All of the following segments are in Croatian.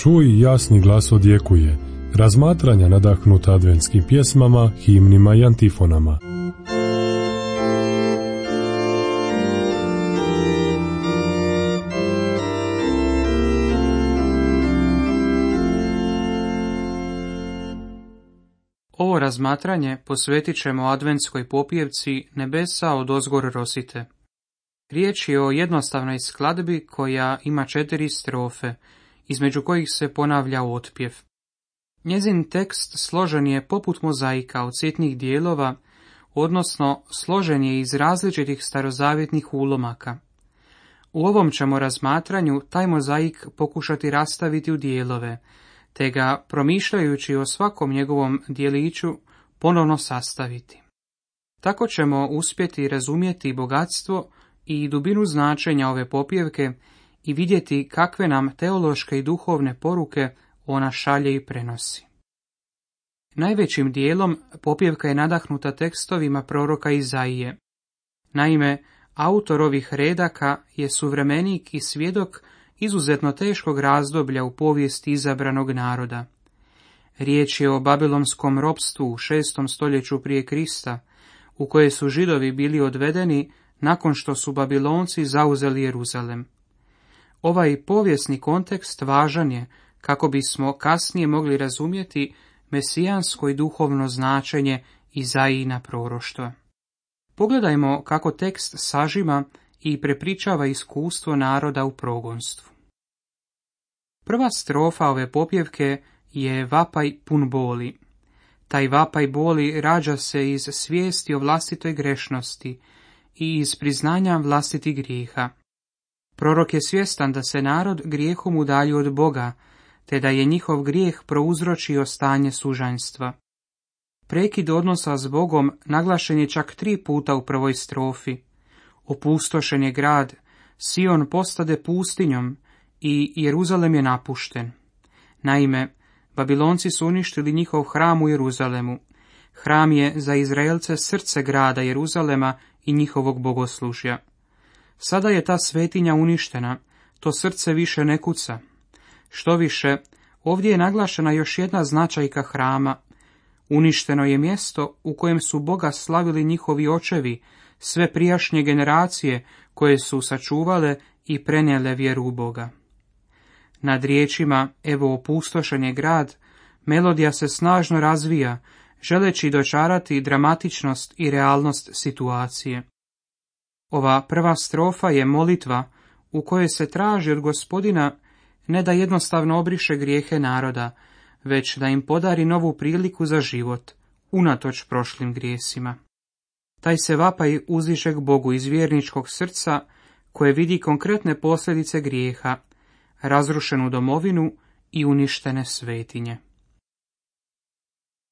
Čuj, jasni glas odjekuje, razmatranja nadahnuta adventskim pjesmama, himnima i antifonama. Ovo razmatranje posvetit ćemo adventskoj popjevci Nebesa odozgor rosite. Riječ je o jednostavnoj skladbi koja ima 4 strofe, između kojih se ponavlja otpjev. Njezin tekst složen je poput mozaika od sitnih dijelova, odnosno složen je iz različitih starozavjetnih ulomaka. U ovom ćemo razmatranju taj mozaik pokušati rastaviti u dijelove, te ga, promišljajući o svakom njegovom dijeliću, ponovno sastaviti. Tako ćemo uspjeti razumjeti bogatstvo i dubinu značenja ove popjevke i vidjeti kakve nam teološke i duhovne poruke ona šalje i prenosi. Najvećim dijelom popjevka je nadahnuta tekstovima proroka Izaije. Naime, autor ovih redaka je suvremenik i svjedok izuzetno teškog razdoblja u povijesti izabranog naroda. Riječ je o babilonskom ropstvu u 6. stoljeću prije Krista, u koje su Židovi bili odvedeni nakon što su Babilonci zauzeli Jeruzalem. Ovaj povijesni kontekst važan je kako bismo kasnije mogli razumjeti mesijansko i duhovno značenje Izajina proroštva. Pogledajmo kako tekst sažima i prepričava iskustvo naroda u progonstvu. Prva strofa ove popjevke je vapaj pun boli. Taj vapaj boli rađa se iz svijesti o vlastitoj grešnosti i iz priznanja vlastitih grijeha. Prorok je svjestan da se narod grijehom udaljio od Boga, te da je njihov grijeh prouzročio stanje sužanjstva. Prekid odnosa s Bogom naglašen je čak 3 puta u prvoj strofi. Opustošen je grad, Sion postade pustinjom i Jeruzalem je napušten. Naime, Babilonci su uništili njihov hram u Jeruzalemu. Hram je za Izraelce srce grada Jeruzalema i njihovog bogoslužja. Sada je ta svetinja uništena, to srce više ne kuca. Štoviše, ovdje je naglašena još jedna značajka hrama. Uništeno je mjesto u kojem su Boga slavili njihovi očevi, sve prijašnje generacije koje su sačuvale i prenijele vjeru u Boga. Nad riječima evo opustošen je grad, melodija se snažno razvija, želeći dočarati dramatičnost i realnost situacije. Ova prva strofa je molitva u kojoj se traži od Gospodina ne da jednostavno obriše grijehe naroda, već da im podari novu priliku za život, unatoč prošlim grijesima. Taj se vapaj uzdiže k Bogu iz vjerničkog srca, koje vidi konkretne posljedice grijeha, razrušenu domovinu i uništene svetinje.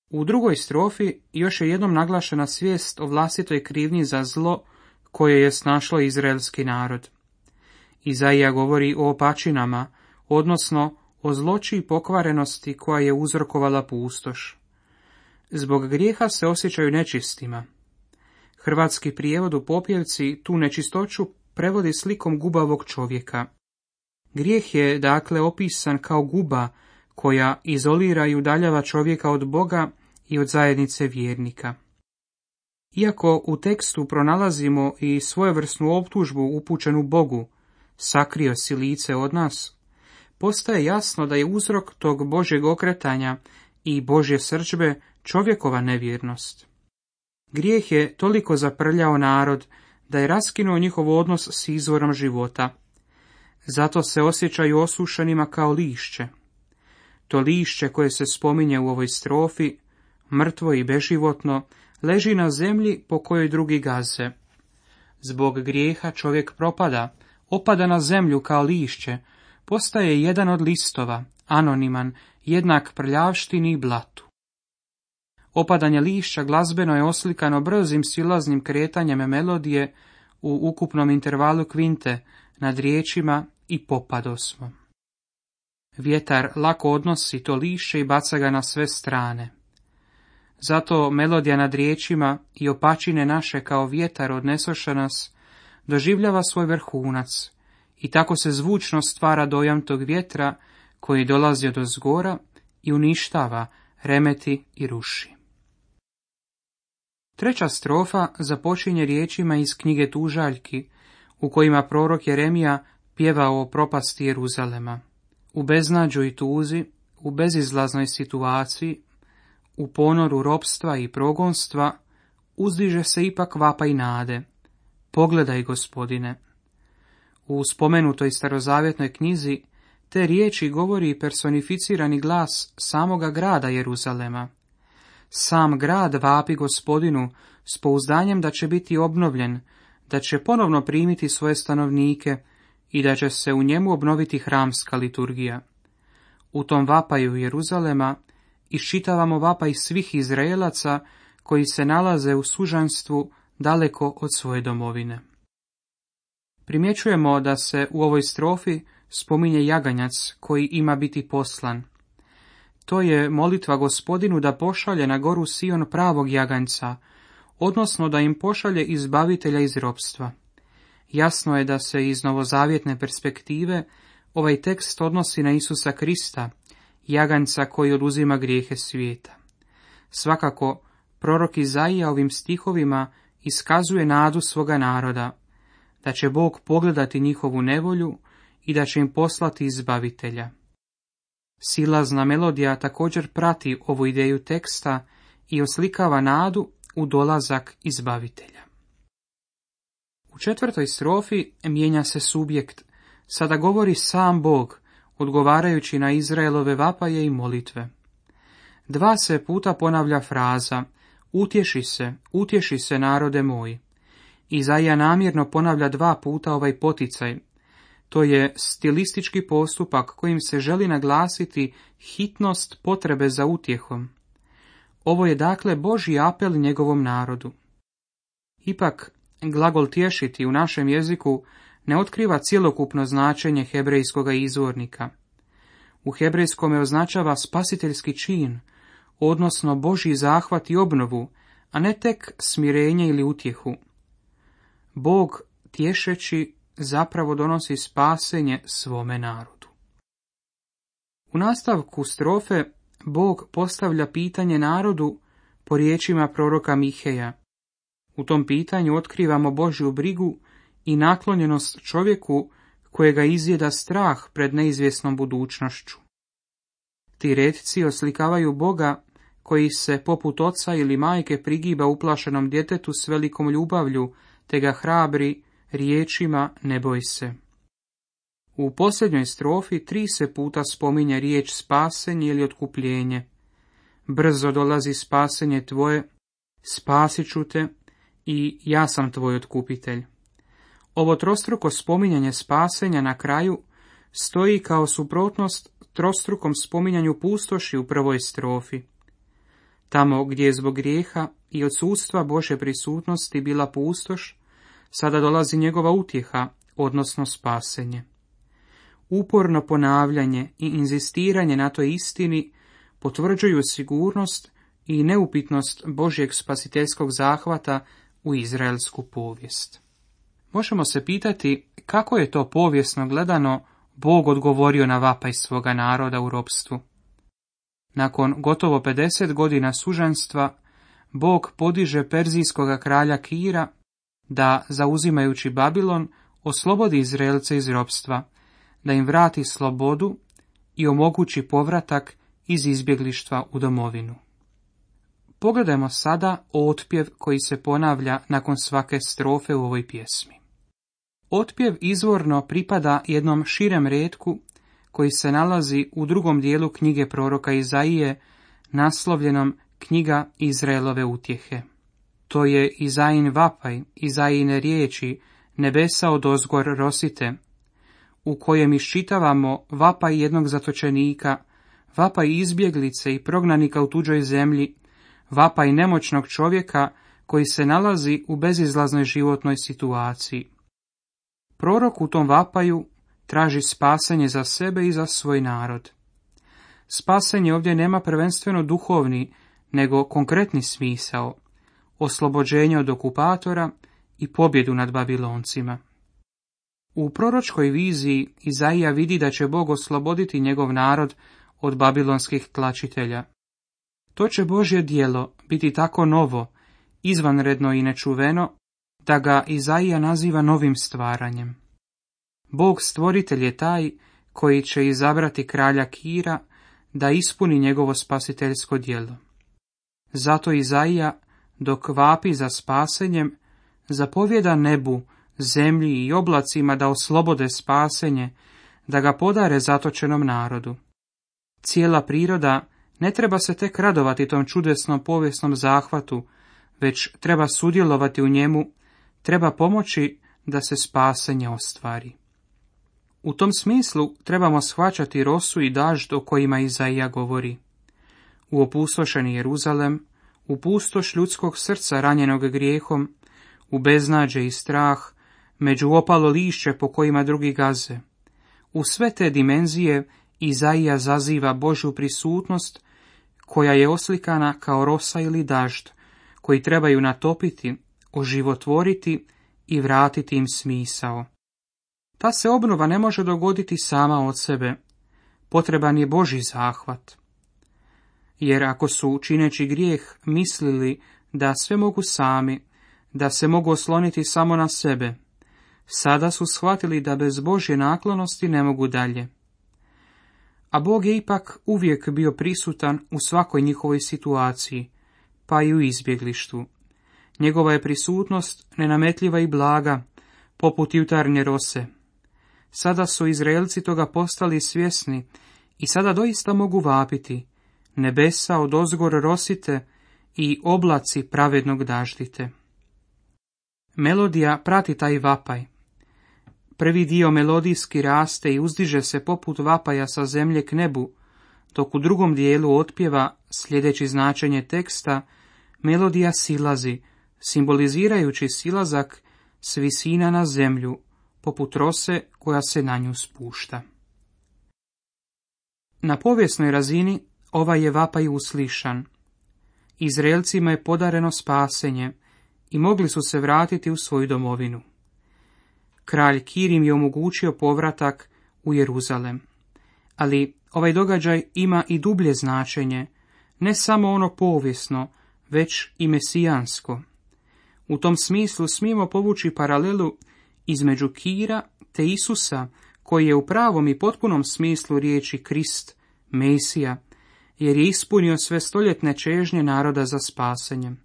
U drugoj strofi još je jednom naglašena svijest o vlastitoj krivnji za zlo koje je snašlo izraelski narod. Izaija govori o opačinama, odnosno o zloći i pokvarenosti koja je uzrokovala pustoš. Zbog grijeha se osjećaju nečistima. Hrvatski prijevod u popjevci tu nečistoću prevodi slikom gubavog čovjeka. Grijeh je dakle opisan kao guba koja izolira i udaljava čovjeka od Boga i od zajednice vjernika. Iako u tekstu pronalazimo i svojevrsnu optužbu upućenu Bogu, sakrio si lice od nas, postaje jasno da je uzrok tog Božjeg okretanja i Božje srdžbe čovjekova nevjernost. Grijeh je toliko zaprljao narod da je raskinuo njihov odnos s izvorom života. Zato se osjećaju osušenima kao lišće. To lišće koje se spominje u ovoj strofi, mrtvo i beživotno, leži na zemlji po kojoj drugi gaze. Zbog grijeha čovjek propada, opada na zemlju kao lišće, postaje jedan od listova, anoniman, jednak prljavštini i blatu. Opadanje lišća glazbeno je oslikano brzim silaznim kretanjem melodije u ukupnom intervalu kvinte, nad riječima i popadosmo. Vjetar lako odnosi to lišće i baca ga na sve strane. Zato melodija nad riječima i opačine naše kao vjetar odnesoše nas, doživljava svoj vrhunac i tako se zvučno stvara dojam tog vjetra koji dolazi odozgora i uništava, remeti i ruši. Treća strofa započinje riječima iz knjige Tužaljki, u kojima prorok Jeremija pjevao o propasti Jeruzalema. U beznađu i tuzi, u bezizlaznoj situaciji, u ponoru ropstva i progonstva, uzdiže se ipak vapaj nade. Pogledaj, Gospodine. U spomenutoj starozavjetnoj knjizi te riječi govori personificirani glas samoga grada Jeruzalema. Sam grad vapi Gospodinu s pouzdanjem da će biti obnovljen, da će ponovno primiti svoje stanovnike i da će se u njemu obnoviti hramska liturgija. U tom vapaju Jeruzalema iščitavamo vapaj svih Izraelaca koji se nalaze u sužanstvu daleko od svoje domovine. Primjećujemo da se u ovoj strofi spominje jaganjac koji ima biti poslan. To je molitva Gospodinu da pošalje na goru Sion pravog jaganjca, odnosno da im pošalje izbavitelja iz ropstva. Jasno je da se iz novozavjetne perspektive ovaj tekst odnosi na Isusa Krista, jaganjca koji oduzima grijehe svijeta. Svakako, prorok Izaija ovim stihovima iskazuje nadu svoga naroda, da će Bog pogledati njihovu nevolju i da će im poslati izbavitelja. Silazna melodija također prati ovu ideju teksta i oslikava nadu u dolazak izbavitelja. U četvrtoj strofi mijenja se subjekt, sada govori sam Bog, odgovarajući na Izraelove vapaje i molitve. 2 se puta ponavlja fraza utješi se narode moj. Izaija namjerno ponavlja 2 puta ovaj poticaj. To je stilistički postupak kojim se želi naglasiti hitnost potrebe za utjehom. Ovo je dakle Božji apel njegovom narodu. Ipak, glagol tješiti u našem jeziku ne otkriva cjelokupno značenje hebrejskoga izvornika. U hebrejskome označava spasiteljski čin, odnosno Božji zahvat i obnovu, a ne tek smirenje ili utjehu. Bog, tješeći, zapravo donosi spasenje svome narodu. U nastavku strofe Bog postavlja pitanje narodu po riječima proroka Miheja. U tom pitanju otkrivamo Božju brigu i naklonjenost čovjeku kojega izjeda strah pred neizvjesnom budućnošću. Ti retci oslikavaju Boga koji se poput oca ili majke prigiba uplašenom djetetu s velikom ljubavlju, te ga hrabri riječima ne boj se. U posljednjoj strofi 3 se puta spominje riječ spasenje ili otkupljenje. Brzo dolazi spasenje tvoje, spasit ću te i ja sam tvoj otkupitelj. Ovo trostruko spominjanje spasenja na kraju stoji kao suprotnost trostrukom spominjanju pustoši u prvoj strofi. Tamo gdje je zbog grijeha i odsustva Božje prisutnosti bila pustoš, sada dolazi njegova utjeha, odnosno spasenje. Uporno ponavljanje i inzistiranje na toj istini potvrđuju sigurnost i neupitnost Božjeg spasiteljskog zahvata u izraelsku povijest. Možemo se pitati kako je to povijesno gledano Bog odgovorio na vapaj svoga naroda u ropstvu. Nakon gotovo 50 godina sužanstva, Bog podiže perzijskoga kralja Kira da, zauzimajući Babilon, oslobodi Izraelce iz ropstva, da im vrati slobodu i omogući povratak iz izbjeglištva u domovinu. Pogledajmo sada otpjev koji se ponavlja nakon svake strofe u ovoj pjesmi. Otpjev izvorno pripada jednom širem retku koji se nalazi u drugom dijelu knjige proroka Izaije, naslovljenom Knjiga Izraelove utjehe. To je Izajin vapaj, Izajine riječi, nebesa odozgor rosite, u kojem iščitavamo vapaj jednog zatočenika, vapaj izbjeglice i prognanika u tuđoj zemlji, vapaj nemoćnog čovjeka koji se nalazi u bezizlaznoj životnoj situaciji. Prorok u tom vapaju traži spasenje za sebe i za svoj narod. Spasenje ovdje nema prvenstveno duhovni, nego konkretni smisao, oslobođenje od okupatora i pobjedu nad Babiloncima. U proročkoj viziji Izaija vidi da će Bog osloboditi njegov narod od babilonskih tlačitelja. To će Božje djelo biti tako novo, izvanredno i nečuveno, da ga Izaija naziva novim stvaranjem. Bog stvoritelj je taj koji će izabrati kralja Kira da ispuni njegovo spasiteljsko djelo. Zato Izaija, dok vapi za spasenjem, zapovjeda nebu, zemlji i oblacima da oslobode spasenje, da ga podare zatočenom narodu. Cijela priroda ne treba se tek radovati tom čudesnom povijesnom zahvatu, već treba sudjelovati u njemu, treba pomoći da se spasenje ostvari. U tom smislu trebamo shvaćati rosu i dažd o kojima Izaija govori. U opustošeni Jeruzalem, u pustoš ljudskog srca ranjenog grijehom, u beznađe i strah, među opalo lišće po kojima drugi gaze. U sve te dimenzije Izaija zaziva Božju prisutnost, koja je oslikana kao rosa ili dažd, koji trebaju natopiti, oživotvoriti i vratiti im smisao. Ta se obnova ne može dogoditi sama od sebe, potreban je Božji zahvat. Jer ako su, čineći grijeh, mislili da sve mogu sami, da se mogu osloniti samo na sebe, sada su shvatili da bez Božje naklonosti ne mogu dalje. A Bog je ipak uvijek bio prisutan u svakoj njihovoj situaciji, pa i u izbjeglištvu. Njegova je prisutnost nenametljiva i blaga, poput jutarnje rose. Sada su Izraelci toga postali svjesni i sada doista mogu vapiti: nebesa odozgor rosite i oblaci pravednog daždite. Melodija prati taj vapaj. Prvi dio melodijski raste i uzdiže se poput vapaja sa zemlje k nebu, dok u drugom dijelu otpjeva, sljedeći značenje teksta, melodija silazi, simbolizirajući silazak s visina na zemlju, poput rose koja se na nju spušta. Na povijesnoj razini ovaj je vapaj uslišan. Izraelcima je podareno spasenje i mogli su se vratiti u svoju domovinu. Kralj Kir im je omogućio povratak u Jeruzalem. Ali ovaj događaj ima i dublje značenje, ne samo ono povijesno, već i mesijansko. U tom smislu smijemo povući paralelu između Kira te Isusa, koji je u pravom i potpunom smislu riječi Krist, Mesija, jer je ispunio sve stoljetne čežnje naroda za spasenjem.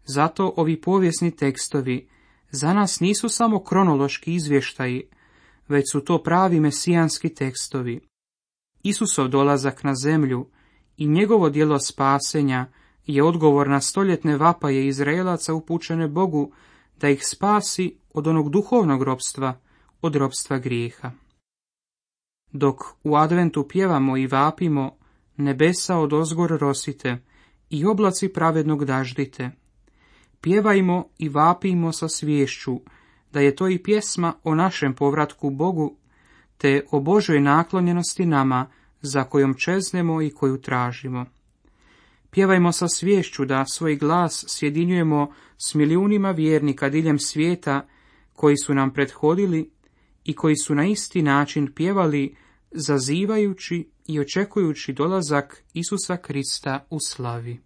Zato ovi povijesni tekstovi za nas nisu samo kronološki izvještaji, već su to pravi mesijanski tekstovi. Isusov dolazak na zemlju i njegovo djelo spasenja je odgovor na stoljetne vapaje Izraelaca upućene Bogu da ih spasi od onog duhovnog ropstva, od ropstva grijeha. Dok u adventu pjevamo i vapimo: nebesa odozgor rosite i oblaci pravednog daždite, pjevajmo i vapimo sa sviješću da je to i pjesma o našem povratku Bogu, te o Božoj naklonjenosti nama, za kojom čeznemo i koju tražimo. Pjevajmo sa sviješću da svoj glas sjedinjujemo s milijunima vjernika diljem svijeta koji su nam prethodili i koji su na isti način pjevali, zazivajući i očekujući dolazak Isusa Krista u slavi.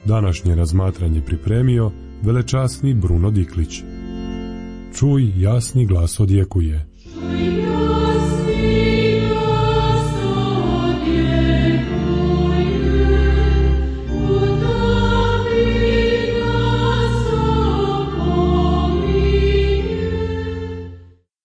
Današnje razmatranje pripremio velečasni Bruno Diklić. Čuj, jasni glas odjekuje.